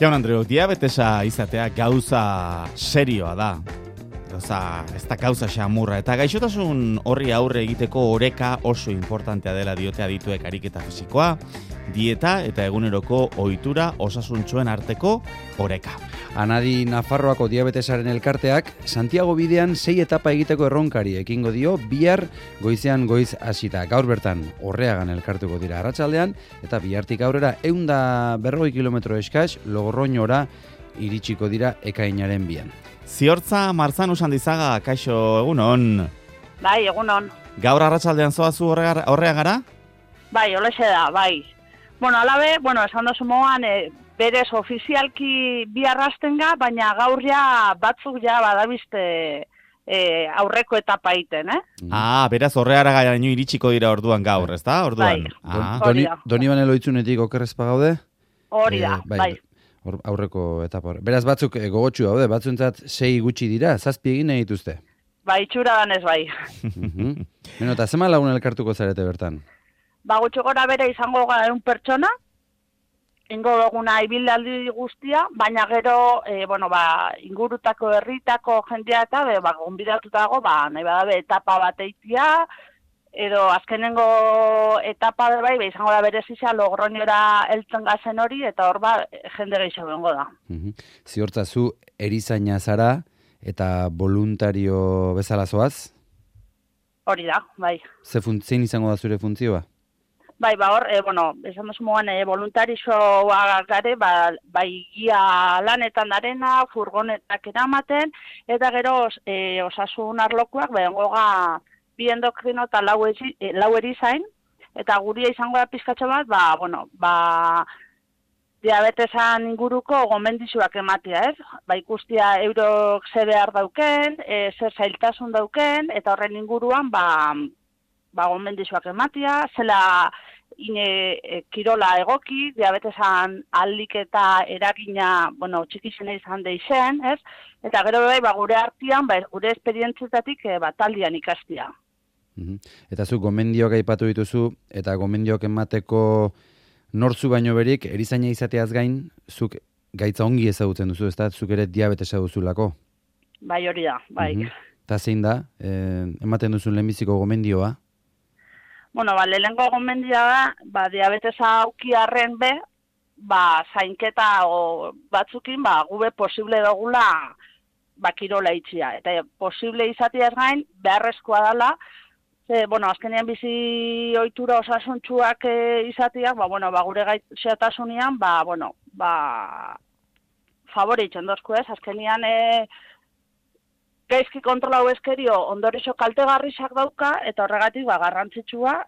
Jaun Andreok, diabetesa izatea gauza serioa da. Ez da gauza xamurra. Eta gaixotasun horri aurre egiteko oreka oso importantea dela diote adituek ariketa fisikoa, dieta eta eguneroko ohitura osasuntsuen arteko oreka. Anadi Nafarroako diabetesaren elkarteak Santiago bidean 6 etapa egiteko erronkari ekingo dio bihar goizean goiz hasita. Gaur bertan Orreagan elkartuko dira arratsaldean eta bihartik aurrera 140 kilometro eskas Logroñora iritsiko dira ekainaren 2an. Ziortza Marzanu Sandizaga, kaixo, egunon. Bai, egunon. Gaur arratsaldean zoazu Orreagara? Bai, holaxe da, bai. Alabe, esan dozu moan, berez ofizialki bi arrastenga, baina gaur ja batzuk ja badabizte aurreko etapa egiten, Beraz Orreagara gaino iritsiko dira orduan gaur, ezta? Orduan. Bai, Donibane Loitzunetik okerrezpa gaude? Hori da, bai. Aurreko etapa. Beraz batzuk gogotsu daude, batzuentzat 6 gutxi dira, 7 egin nahi dituzte. Bai, itxura danez bai. Eta zema lagun elkartuko zarete bertan? Gutxi gora bere izango gara 1 pertsona, ingo duguna ibilaldi guztia, baina gero, ingurutako herritako jendea eta, gonbidatuta dago, nahi badabe etapa bat eitia, edo azkenengo etapa bai, izango da berezizia Logroñora heltzen gazen hori, eta hor jende gehiago bengo da. Ziortza, zu erizaina zara eta voluntario bezala zoaz? Hori da, bai. Zein izango da zure funtzioa? Bai, hor, esan duzu moan, voluntarioa gare, bai gia lanetan darena, furgonetak eramaten, eta gero osasun arlokuak, bengo ga, bi endokrino eta lau erizain, eta guria izango da pizkatxo bat, diabetesan inguruko gomendizuak ematea, ez? Ikustia eurok ze behar dauken, zer zailtasun dauken, eta horren inguruan, gomendizuak ematea, zela kirola egoki, diabetesan aldik eta eragina, txikizena izan deixen, ez? Eta gero gure artean, gure esperientzietatik taldian ikastia. Eta zu gomendioak aipatu dituzu, eta gomendioak emateko nortzu baino berik, erizaina izateaz gain, zuk gaitza ongi ezagutzen duzu, ez da, zuk ere diabetesa duzulako? Bai, hori da, bai. Eta zein da, ematen duzun lehenbiziko gomendioa? Lehenengo gomendioa da, diabetesa aukiarren zainketa batzukin, gube posible dugula kirola itxia. Eta posible izateaz gain, beharrezkoa dela, azkenean bizi ohitura osasuntsuak izateak, gure gaixotasunian, favore itzen dozku ez, azkenean gaizki kontrolau eskerio ondorixo kaltegarrisak dauka, eta horregatik garrantzitsua,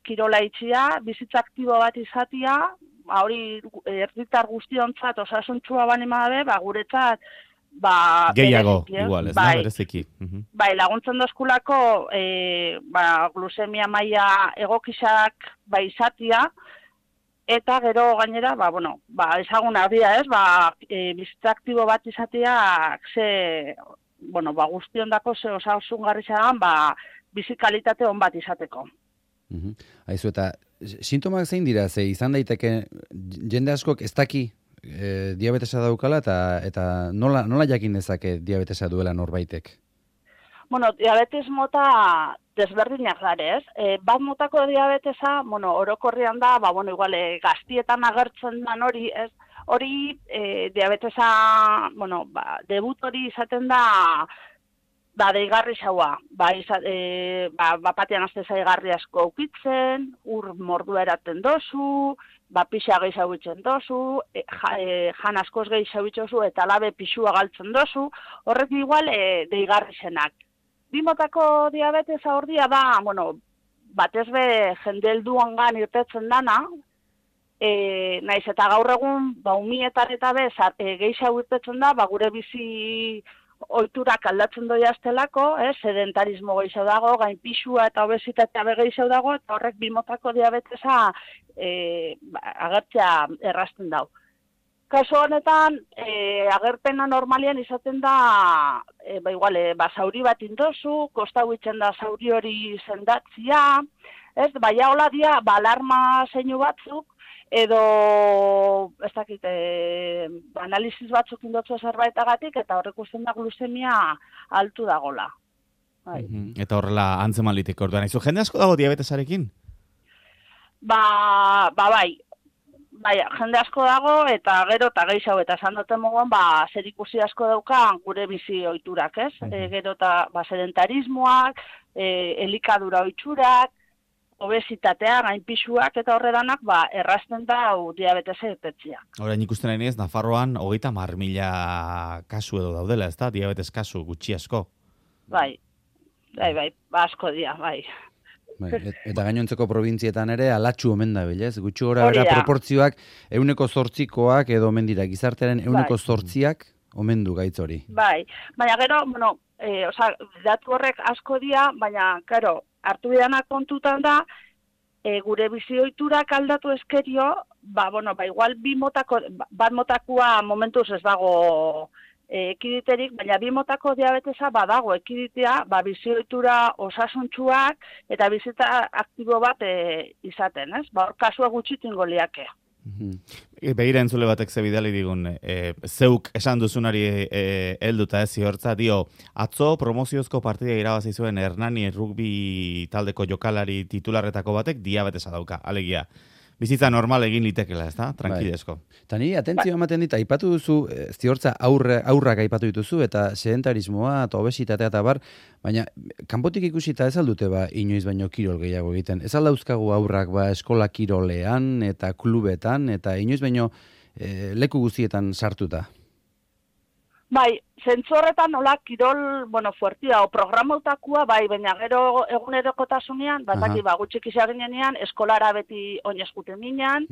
kirola itxia, bizitza aktibo bat izatea, hori herritar guztiontzat osasuntsua banima dabe, guretzat, gehiago, igual, ez da, bereziki. Bai, laguntzen dozkulako, glusemia maila egokisak izatea, eta gero gainera, ezagun abia ez, bizitza aktibo bat izatea, guztiondako ze osasungarri zagan, bizi kalitate on bat izateko. Aizu, eta sintomak zein dira, ze izan daiteke jende askok ez daki diabetesa daukala, eta nola jakin dezake diabetesa duela norbaitek? Diabetes mota desberdinak gare, ez? Bat motako diabetesa, orokorrean da, igual, gaztietan agertzen dan hori, ez? Hori, diabetesa, debut hori izaten da, deigarri xaua. Bapatean azte zaigarri asko ukitzen, ur mordua eraten dozu, pixa gehiago itzen dozu, jan askoz gehiago itzozu, eta labe pixua galtzen dozu, horrek igual deigarri zenak. Bimotako diabetesa hordia da, batez be jende helduangan irtetzen dana, naiz eta gaur egun, umietan eta gehiago irtetzen da, gure bizi ohiturak aldatzen doi aztelako, sedentarismo gehiago dago, gain pixua eta obesitatea gehiago dago, eta horrek bimotako diabetesa agertzea errazten dau. Kaso honetan, agerpena normalian izaten da, zauri bat indozu, kostau itzen da zauri hori sendatzia, baina hola dia, alarma zeinu batzuk, edo, ez dakit, analiziz batzuk indotzu zerbaitagatik, eta horrek usten da glusemia altu dagola. Bai. Eta horrela antzeman liteke orduan. Izu, jende asko dago diabetesarekin? Bai, jende asko dago, eta gero eta gehiago, eta esan duten moguan, zer ikusi asko daukan gure bizi ohiturak, ez? Gero eta sedentarismoak, elikadura ohiturak, obesitatea, gainpisuak eta horredanak, errazten da diabetesa irtetzia. Orain ikusten nahi ez, Nafarroan 30.000 kasu edo daudela, ez da? Diabetes kasu gutxi asko. Bai, asko dia, bai. Eta gainontzeko probintzietan ere alatxu omen da bilez, gutxi gora bera proportzioak 8%koak edo omen dira, gizartearen 8%ak omen du gaitz hori. Bai, baina gero, datu horrek asko dira, baina, karo, hartu bidanak kontutan da, gure bizi ohiturak aldatu eskerio, igual bat motakua momentuz ez dago ekiditerik, baina bi motako diabetesa badago ekiditea, bizi ohitura osasuntsuak eta bizitza aktibo bat izaten, ez? Hor kasua gutxitingo liake. Begira entzule batek zebidali digun, zeuk esan duzunari helduta ez ziortza, atzo promoziozko partida irabazi zuen Hernani rugby taldeko jokalari titularretako batek diabetesa dauka, alegia. Bizitza normal egin litekela, ez da? Tranquilesko. Eta niri, atentzio ematen dit, aipatu duzu, ziortza aurrak aipatu dituzu, eta sedentarismoa, eta obesitatea, eta bar, baina, kanpotik ikusita ez aldute inoiz baino kirol gehiago egiten. Ez aldauzkagu aurrak eskola kirolean, eta klubetan, eta inoiz baino leku guztietan sartuta. Bai, zentzorretan nola kirol, fuertia, o programautakoa, baina gero egunerokotasunean, gutxik izan ginean, eskolara beti oinezkuten ginean,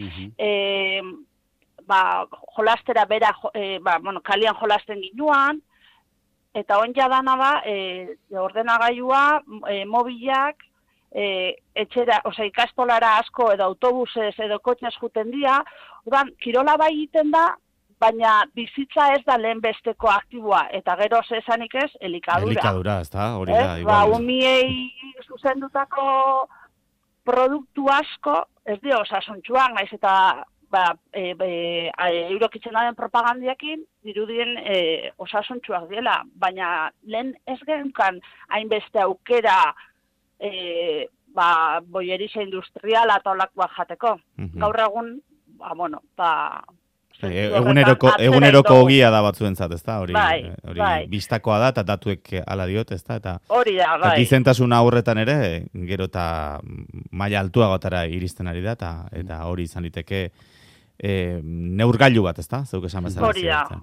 jolastera bera, kalian jolasten ginuan, eta onja dana da, ordenagailua, mobilak, etxera, ikastolara asko edo autobusez edo kotxez juten dira, kirola bai egiten da, baina bizitza ez da lehen besteko aktiboa, eta gero zesanik ez, elikadura. Elikadura, ez da, hori da. Umiei zuzendutako produktu asko, ez dio osasuntxuak, naiz eta eurokitzen daren propagandiakin, dirudien osasuntxuak dela, baina lehen ez genkan hainbeste aukera boieriza industriala eta olakoak jateko. Gaur egun, eguneroko ogia da batzuentzat, ezta? Hori bistakoa da eta datuek hala diot, ezta? Hori da, bai. Gizentasuna aurretan ere, gero eta maila altuagotara iristen ari da, eta hori izan liteke neurgailu bat, ezta? Zeuk esan bezala.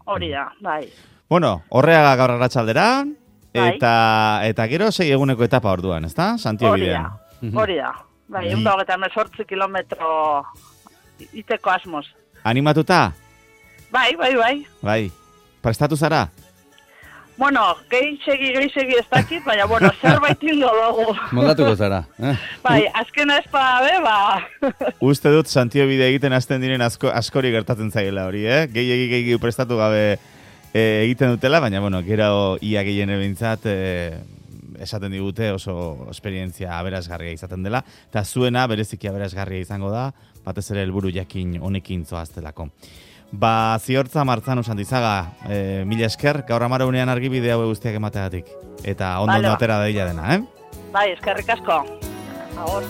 Hori da, bai. Bueno, Horreaga gaur arratsaldera, eta gero 6 eguneko etapa orduan, ezta? Santiago bidean. Hori da, bai, 128 kilometro iteko asmoz. Animatuta? Bai. Bai. Prestatu zara? Gehiago ez dakit, baina, zerbait ingo dugu. Moldatuko zara. Bai, azkena espada, Uste dut Santiago bide egiten hasten diren askori gertatzen zaiela hori, Gehiago prestatu gabe egiten dutela, baina, gero ia gehiene bintzat esaten digute oso esperientzia aberasgarria izaten dela, eta zuena bereziki aberasgarria izango da, batez ere helburu jakin honekin zoaztelako. Ziortza Martzanu Santizaga, mila esker, gaur 10 argibide hau guztiak emateagatik. Eta ondo atera daila dena, Bai, eskerrik asko. Agor.